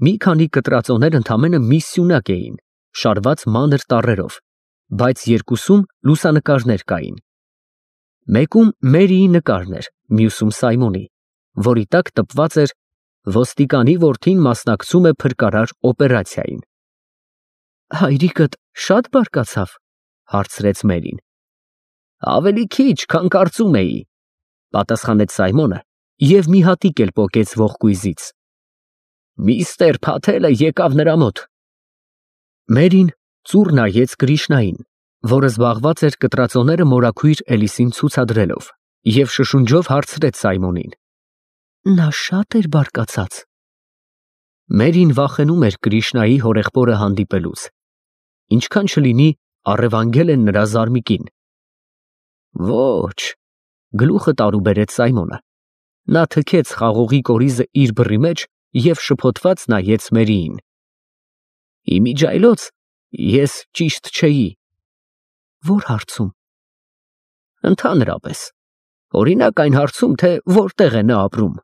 Մի քանի կտրածոներ ընդամենը մի սյունակ էին, շարված մանր տառերով, բայց երկուսում լուսանկարներ կային։ Մեկում Մերիի նկարն էր, մյուսում Սայմոնի, որի տակ տպված էր ոստիկանի որդին մասնակցում է փրկարար օպերացիային։ Հայրիկդ շատ բարկացավ, հարցրեց Մերին։ Ավելի քիչ, քան կարծում էի, պատասխանեց Սայմոնը և մի հատիկ էլ պոկեց ողկույզից։ Միստր Փաթելը եկավ նրա մոտ։ Մերին ծուռ նայեց Կրիշնային, որը զբաղված էր կտրածոները մորաքույր Էլիսին ցուցադրելով, և շշունջով հարցրեց Սայմոնին. Նա շատ էր բարկացած։ Մերին վախենում էր Կրիշնայի հորեղբորը հանդիպելուց, ինչքան չլինի առևանգել են նրա զարմիկին։ Ոչ, գլուխը տարուբերեց Սայմոնը։ Նա թքեց խաղողի կորիզը իր բռի մեջ և շփոթված նայեց Մերիին։ Իմիջայլոց ես ճիշտ չէի։ Որ հարցում։ Ընդհանրապես, օրինակ այն հարցում, թե որտեղ է նա ապրում։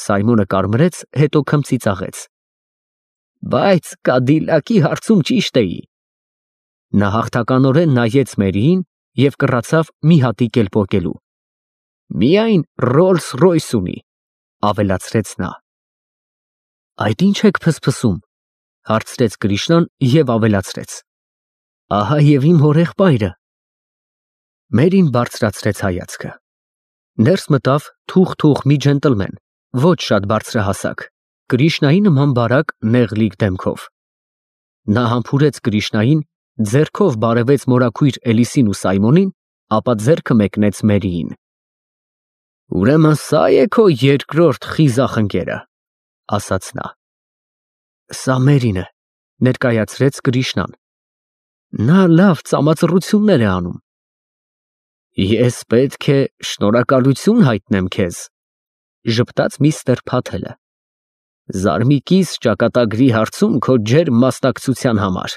Սայմոնը կարմրեց, հետո քմծիծաղեց։ Բայց Կադիլակի հարցում ճիշտ էի։ Նա հաղթականորեն նայեց Մերիին և կռացավ մի հատիկ էլ պոկելու։ Միայն Ռոլս Ռոյս ունի, ավելացրեց նա։ Այդ ինչ եք փսփսում, հարցրեց Կրիշնան և ավելացրեց. Ահա և իմ հորեղբայրը։ Մերին բարձրացրեց հայացքը։ Ներս մտավ թուխ մի ջենտլմեն, ոչ շատ բարձրահասակ, Կրիշնայի նման բարակ նեղլիկ դեմքով։ Նա համբուրեց Կրիշնային, ձեռքով բարևեց մորաքույր Էլիսին ու Սայմոնին, ապա ձեռքը մեկնեց Մերիին։ Ուրեմն սա է քո երկրորդ խիզախ ընկերը, ասաց նա։ Սա Մերին է, ներկայացրեց Կրիշնան։ Նա լավ ծամածռություններ է անում։ Ես պետք է շնորհակալություն հայտնեմ քեզ, ժպտաց միստր Փաթելը։ Զարմիկիս ճակատագրի հարցում քո ջերմ մասնակցության համար։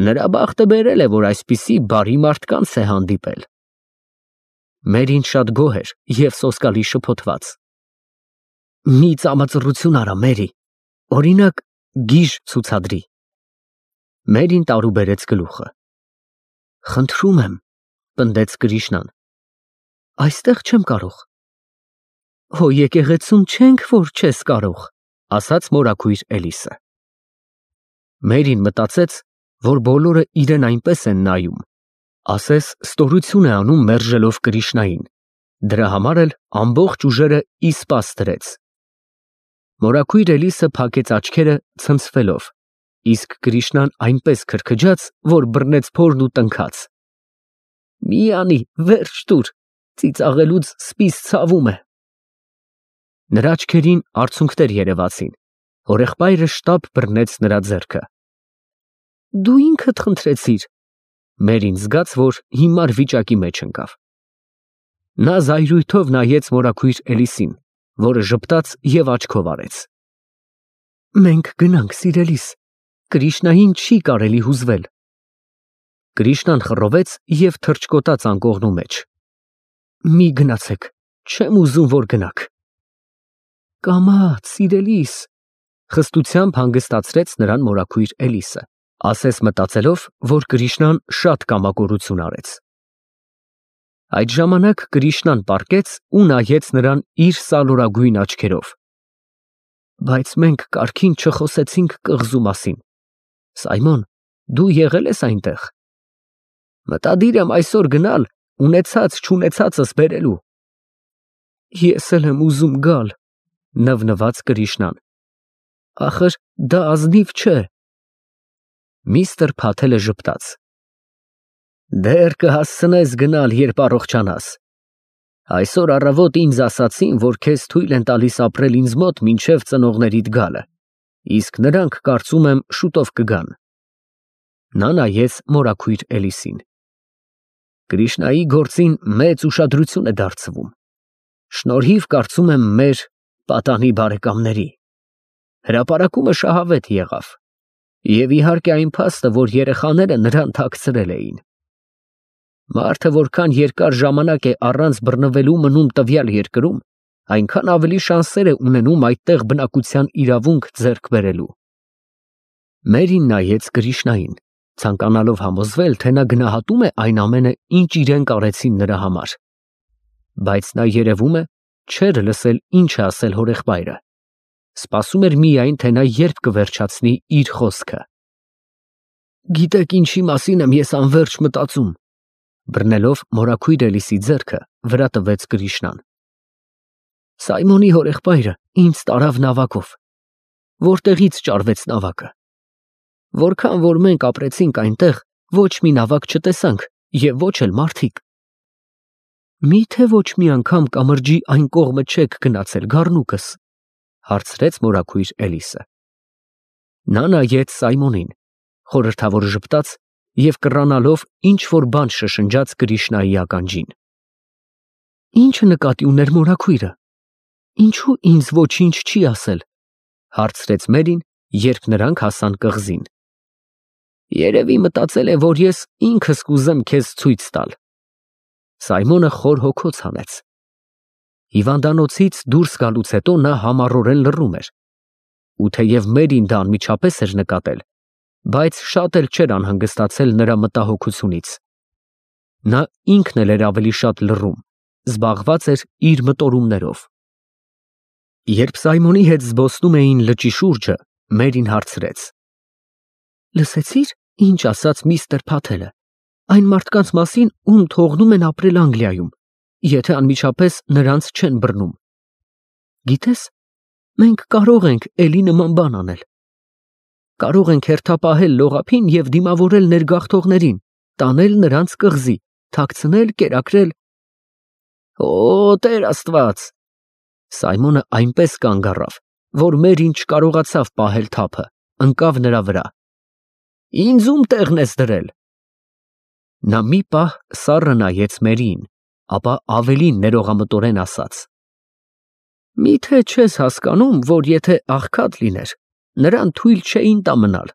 Նրա բախտը բերել է, որ այսպիսի բարի մարդկանց է հանդիպել։ Մերին շատ գոհ էր և սոսկալի շփոթված։ Մի ծամածռություն արա, Մերի, օրինակ, գիժ ցուցադրի։ Մերին տարուբերեց գլուխը։ Խնդրում եմ, պնդեց Կրիշնան։ Այստեղ չեմ կարող։ Հո եկեղեցում չենք, որ չես կարող, ասաց մորաքույր Էլիսը։ Մերին մտածեց, որ բոլորը իրեն այնպես են նայում, ասես ստորություն է անում մերժելով Կրիշնային, դրա համար էլ ամբողջ ուժերը ի սպաս դրեց։ Մորաքույր Էլիսը փակեց աչքերը ցնցվելով, իսկ Կրիշնան այնպես քրքջաց, որ բռնեց փորն ու տնքաց։ Մի անի, վերջ տուր, ծիծաղելուց սպիս ցավում է։ Նրա աչքերին արցունքներ երևացին, հորեղբայրը շտապ բռնեց նրա ձեռքը։ Դու ինքդ խնդրեցիր։ Մերին զգաց, որ հիմար վիճակի մեջ ընկավ։ Նա զայրույթով նայեց մորաքույր Էլիսին, որը ժպտաց և աչքով արեց։ Մենք գնանք, սիրելիս, Կրիշնային չի կարելի հուզվել։ Կրիշնան խռովեց և թռչկոտաց անկողնու մեջ։ Մի գնացեք, չեմ ուզում, որ գնաք։ Կամաց, սիրելիս, խստությամբ հանգստացրեց նրան մորաքույր Էլիսը, ասես մտածելով, որ Կրիշնան շատ կամակորություն արեց։ Այդ ժամանակ Կրիշնան պառկեց ու նայեց նրան իր սալորագույն աչքերով։ Բայց մենք կարգին չխոսեցինք կղզու մասին։ Սայմոն, դու եղել ես այնտեղ։ Մտադիր եմ այսօր գնալ, ունեցած-չունեցածս բերելու։ Ես էլ եմ ուզում գալ, նվնվաց Կրիշնան։ Ախր դա ազնիվ չէ։ Միստր Փաթելը ժպտաց։ Դեռ կհասցնես գնալ, երբ առողջանաս։ Այսօր առավոտ ինձ ասացին, որ քեզ թույլ են տալիս ապրել ինձ մոտ մինչև ծնողներիդ գալը, իսկ նրանք, կարծում եմ, շուտով կգան։ Նա նայեց մորաքույր Էլիսին։ Կրիշնայի գործին մեծ ուշադրություն է դարձվում։ Շնորհիվ, կարծում եմ, մեր պատանի բարեկամների։ Հրապարակումը շահավետ եղավ։ Եվ իհարկե այն փաստը, որ երեխաները նրան թաքցրել էին։ Մարդը որքան երկար ժամանակ է առանց բռնվելու մնում տվյալ երկրում, այնքան ավելի շանսեր է ունենում այդտեղ բնակության իրավունք ձեռք բերելու։ Մերին նայեց Կրիշնային, ցանկանալով համոզվել, թե նա գնահատում է այն ամենը, ինչ իրեն կարեցին նրա համար։ Բայց նա երևում է չէր լսել ինչ է ասել հորեղբայրը, սպասում էր միայն, թե նա երբ կվերջացնի իր խոսքը։ Գիտեք ինչի մասին եմ ես անverջ մտածում, բռնելով մորաքույր Էլիսի ձեռքը, վրա տվեց Կրիշնան։ Սայմոնի հորեղբայրը ինձ տարավ նավակով։ Որտեղից ճարվեց նավակը։ Որքան որ մենք ապրեցինք այնտեղ, ոչ մի նավակ չտեսանք եւ ոչ էլ մարդիկ։ Միթե ոչ մի անգամ կամրջի այն կողմը չեք գնացել գառնուկս, հարցրեց մորաքույր Էլիսը։ Նա նայեց Սայմոնին, խորհրդավոր ժպտաց եւ կռանալով ինչ որ բան շշնջաց Կրիշնայի ականջին։ Ինչը նկատի ուներ մորաքույրը։ Ինչու ինձ ոչինչ չի ասել, հարցրեց Մերին, երբ նրանք հասան կղզին։ Երևի մտածել է, որ ես ինքս կուզեմ քեզ ցույց տալ։ Սայմոնը խոր հոգոց հանեց։ Հիվանդանոցից դուրս գալուց հետո նա համառորեն լռում էր։ Ու թեև Մերին դա անմիջապես էր նկատել, բայց շատ էլ չէր անհանգստացել նրա մտահոգությունից։ Նա ինքն էլ էր ավելի շատ լռում, զբաղված էր իր մտորումներով։ Երբ Սայմոնի հետ զբոսնում էին լճի շուրջը, Մերին հարցրեց. Լսեցի՞ր, ինչ ասաց միստր Փաթելը, այն մարդկանց մասին, ում թողնում են ապրել Անգլիայում, եթե անմիջապես նրանց չեն բռնում։ Գիտես, մենք կարող ենք էլի նման բան անել։ Կարող ենք հերթապահել լողափին և դիմավորել ներգաղթողներին, տանել նրանց կղզի, թաքցնել, կերակրել։ Օ, Տեր Աստված։ Սայմոնը այնպես կանգ առավ, որ Մերին չկարողացավ պահել թափը, ընկավ նրա վրա։ Ինձ ում տեղն ես դրել։ Նա մի պահ սառը նայեց Մերիին, ապա ավելի ներողամտորեն ասաց. Միթե չես հասկանում, որ եթե աղքատ լիներ, նրան թույլ չէին տա մնալ։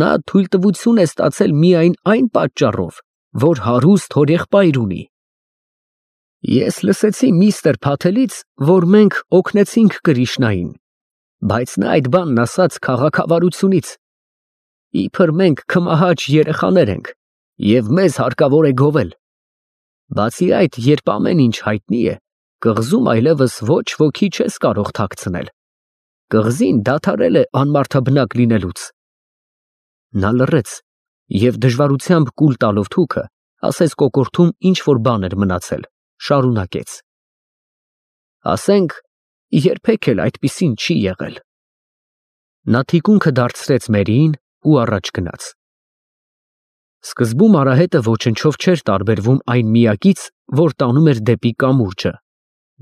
Նա թույլտվություն է ստացել միայն այն պատճառով, որ հարուստ հորեղբայր ունի։ Ես լսեցի միստր Փաթելից, որ մենք օգնեցինք Կրիշնային, բայց նա այդ բանն ասաց քաղաքավարությունից։ Իբր մենք քմահաճ երեխաներ ենք, և մեզ հարկավոր է գովել։ Բացի այդ, երբ ամեն ինչ հայտնի է, կղզում այլևս ոչ ոքի չես կարող թաքցնել։ Կղզին դադարել է անմարդաբնակ լինելուց։ Նա լռեց և դժվարությամբ կուլ տալով թուքը, ասես կոկորդում ինչ որ բան էր մնացել, շարունակեց. Ասենք, երբեք էլ այդպիսին չի եղել։ Նա թիկունքը դարձրեց Մերիին ու առաջ գնաց։ Սկզբում արահետը ոչնչով չէր տարբերվում այն միակից, որ տանում էր դեպի կամուրջը,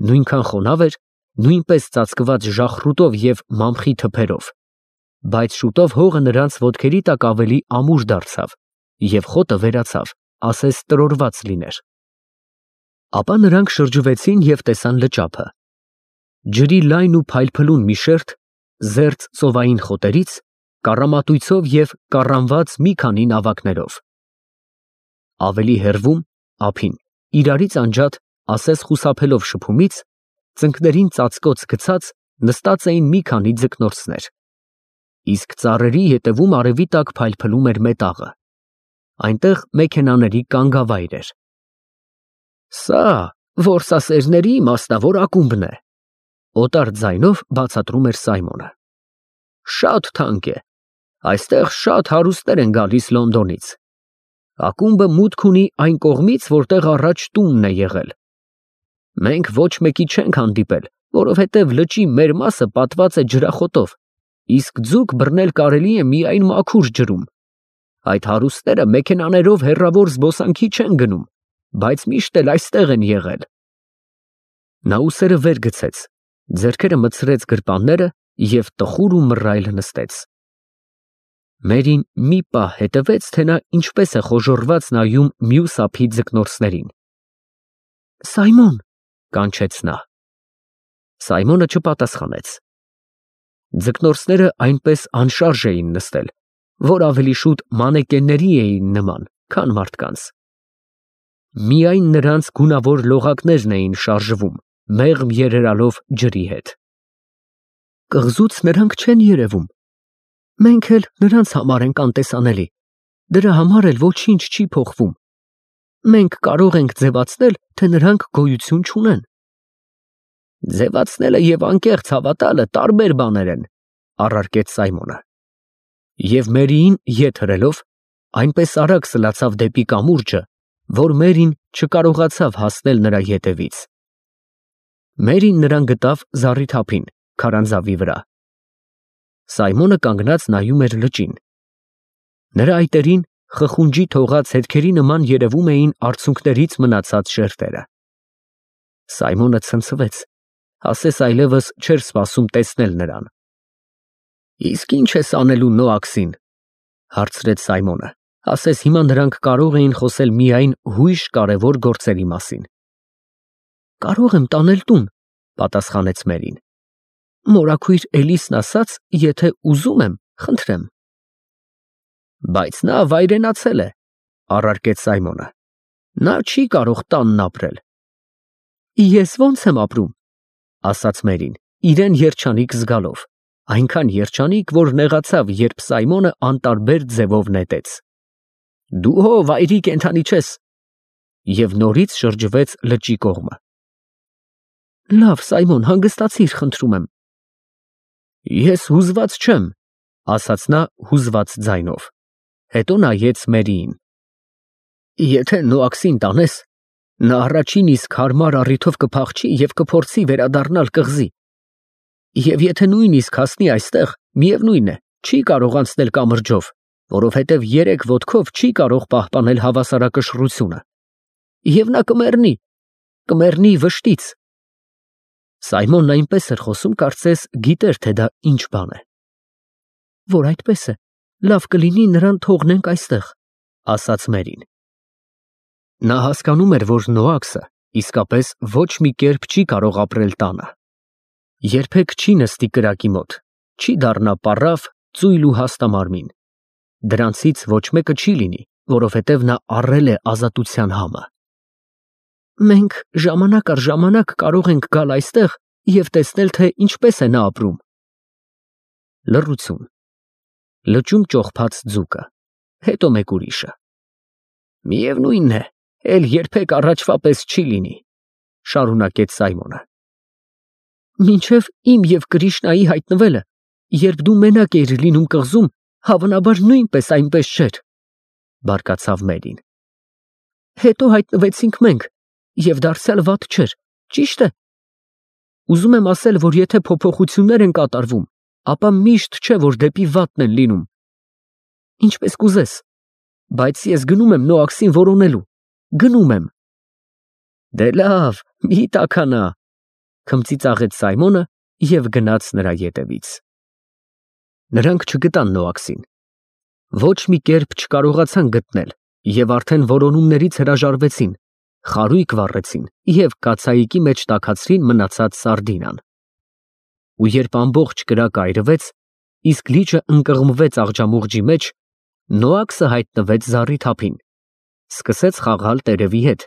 նույնքան խոնավ էր, նույնպես ծածկված ժախրուտով և մամխի թփերով, բայց շուտով հողը նրանց ոտքերի տակ ավելի ամուր դարձավ, և խոտը վերացավ, ասես տրորված լիներ։ Ապա նրանք շրջվեցին և տեսան լճափը։ Ջրի լայն ու փայլփլուն մի շերտ, զերծ ծովային խոտերից, կառամատույցով և կառանված մի քանի նավակներով։ Ավելի հեռվում, ափին, իրարից անջատ, ասես խուսափելով շփումից, ծնկներին ծածկոց գցած, նստած էին մի քանի ձկնորսներ։ Իսկ ծառերի ետևում արևի տակ փայլփլում էր մետաղը։ Այնտեղ մեքենաների կանգավայր էր։ Սա որսասերների մասնավոր ակումբն է, օտար ձայնով բացատրում էր Սայմոնը։ Շատ թանկ է, այստեղ շատ հարուստներ են գալիս Լոնդոնից։ Ակումբը մուտք ունի այն կողմից, որտեղ առաջ տունն է եղել։ Մենք ոչ մեկի չենք հանդիպել, որովհետև լճի մեր մասը պատված է ջրախոտով, իսկ ձուկ բռնել կարելի է միայն մաքուր ջրում։ Այդ հարուստները մեքենաներով հեռավոր զբոսանքի չեն գնում, բայց միշտ էլ այստեղ են եղել։ Նա ուսերը վեր գցեց, ձեռքերը մտցրեց գրպանները և տխուր ու մռայլ նստեց։ Մերին մի պահ հետևեց, թե նա ինչպես է խոժոռված նայում մյուս ափի ձկնորսներին։ Սայմոն, կանչեց նա։ Սայմոնը չպատասխանեց։ Ձկնորսները այնպես անշարժ էին նստել, որ ավելի շուտ մանեկենների էին նման, քան մարդկանց։ Միայն նրանց գունավոր լողակներն էին շարժվում, մեղմ երերալով ջրի հետ։ Կղզուց նրանք չեն երևում։ Մենք էլ նրանց համար ենք անտեսանելի, դրա համար էլ ոչինչ չի փոխվում։ Մենք կարող ենք ձևացնել, թե նրանք գոյություն չունեն։ Ձևացնելը եւ անկեղծ հավատալը տարբեր բաներ են, առարկեց Սայմոնը։ Եվ Մերիին ետ հրելով, այնպես արագ սլացավ դեպի կամուրջը, որ Մերին չկարողացավ հասնել նրա ետևից։ Մերին նրան գտավ զառիթափին, քարանձավի վրա։ Սայմոնը կանգնած նայում էր լճին։ Նրա այտերին խխունջի թողած հետքերի նման երևում էին արցունքներից մնացած շերտերը։ Սայմոնը ցնցվեց, ասես այլևս չէր սպասում տեսնել նրան։ Իսկ ինչ ես անելու Նոաքսին, հարցրեց Սայմոնը, ասես հիմա նրանք կարող էին խոսել միայն հույժ կարևոր գործերի մասին։ Կարող եմ տանել տուն, պատասխանեց Մերին։ Մորաքույր Էլիսն ասաց, եթե ուզում եմ, խնդրեմ։ Բայց նա վայրենացել է, առարկեց Սայմոնը։ Նա չի կարող տանն ապրել։ Ես ո՞նց եմ ապրում, ասաց Մերին, իրեն երջանիկ զգալով, այնքան երջանիկ, որ նեղացավ, երբ Սայմոնը անտարբեր ձևով նետեց։ Դու հո վայրի կենդանի չես։ Եվ նորից շրջվեց լճի կողմը։ Լավ, Սայմոն, հանգստացիր, խնդրում եմ։ Ես հուզված չեմ, ասաց նա հուզված ձայնով։ Հետո նայեց Մերիին։ Եթե Նոաքսին տանես, նա առաջին իսկ հարմար առիթով կփախչի և կփորձի վերադառնալ կղզի։ Եվ եթե նույնիսկ հասնի այստեղ, միևնույն է, չի կարող անցնել կամրջով, որովհետև 3 ոտքով չի կարող պահպանել հավասարակշռությունը։ Եվ նա կմեռնի վշտից։ Սայմոնն այնպես էր խոսում, կարծես գիտեր, թե դա ինչ բան է։ Որ այդպես է, լավ կլինի նրան թողնենք այստեղ, ասաց Մերին։ Նա հասկանում էր, որ Նոաքսը իսկապես ոչ մի կերպ չի կարող ապրել տանը։ Երբեք չի նստի կրակի մոտ, չի դառնա պառավ, ծույլ ու հաստամարմին։ Դրանցից ոչ մեկը չի լինի, որովհետև նա առել է ազատության համը։ Մենք ժամանակ առ ժամանակ կարող ենք գալ այստեղ և տեսնել, թե ինչպես է նա ապրում։ Լռություն։ Լճում ճոխփած ձուկը, հետո մեկ ուրիշը։ Միևնույնն է, էլ երբեք առաջվա պես չի լինի, շարունակեց Սայմոնը։ Մինչև իմ և Կրիշնայի հայտնվելը, երբ դու մենակ էիր լինում կղզում, հավանաբար նույնպես այնպես չէր, բարկացավ Մերին։ Հետո հայտնվեցինք մենք, և դարձյալ վատ չէր, ճիշտ է։ Ուզում եմ ասել, որ եթե փոփոխություններ են կատարվում, ապա միշտ չէ, որ դեպի վատն են լինում։ Ինչպես կուզես, բայց ես գնում եմ Նոաքսին որոնելու, գնում եմ։ Դե լավ, մի տաքանա, քմծիծաղեց Սայմոնը և գնաց նրա ետևից։ Նրանք չգտան Նոաքսին։ Ոչ մի կերպ չկարողացան գտնել և արդեն որոնումներից հրաժարվեցին, խարույկ վառեցին և կացայիկի մեջ տաքացրին մնացած սարդինան։ Ու երբ ամբողջ կրակը այրվեց, իսկ լիճը ընկղմվեց աղջամուղջի մեջ, Նոաքսը հայտնվեց զառիթափին, սկսեց խաղալ տերևի հետ,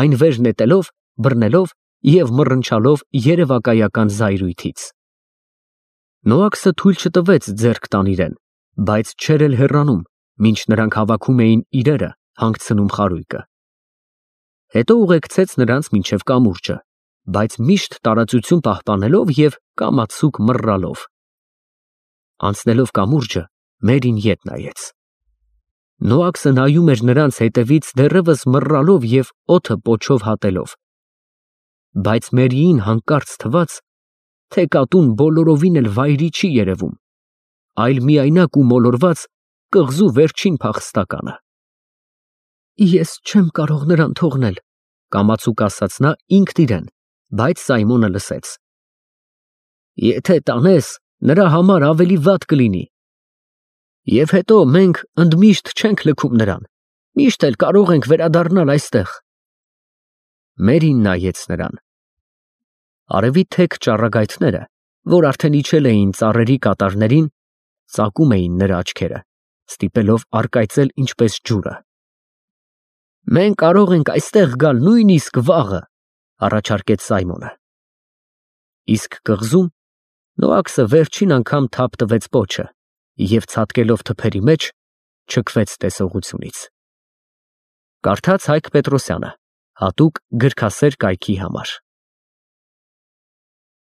այն վեր նետելով, բռնելով և մռնչալով երևակայական զայրույթից։ Նոաքսը թույլ չտվեց ձեռք տան իրեն, բայց չէր էլ հեռանում, մինչ նրանք հավաքում էին իրերը, հանգցնում խարույկը։ Հետո ուղեկցեց նրանց մինչև կամուրջը, բայց միշտ տարածություն պահպանելով և կամացուկ մռռալով։ Անցնելով կամուրջը, Մերին ետ նայեց։ Նոաքսը նայում էր նրանց հետևից դեռևս մռռալով և օդը պոչով հատելով։ Բայց Մերիին հանկարծ թվաց, թե կատուն բոլորովին էլ վայրի չի երևում, այլ միայնակ ու մոլորված կղզու վերջին փախստականը։ Ես չեմ կարող նրան թողնել, կամացուկ ասաց նա ինքն իրեն, բայց Սայմոնը լսեց։ Եթե տանես, նրա համար ավելի վատ կլինի։ Եվ հետո մենք ընդմիշտ չենք լքում նրան, միշտ էլ կարող ենք վերադառնալ այստեղ։ Մերին նայեց նրան։ Արևի թեք ճառագայթները, որ արդեն իջել էին ծառերի կատարներին, ծակում էին նրա աչքերը, ստիպելով առկայծել ինչպես ջուրը։ Մենք կարող ենք այստեղ գալ նույնիսկ վաղը, առաջարկեց Սայմոնը։ Իսկ կղզում Նոաքսը վերջին անգամ թափ տվեց պոչը և ցատկելով թփերի մեջ չքվեց տեսողությունից։ Կարդաց Հայկ Պետրոսյանը, հատուկ գրքասեր կայքի համար։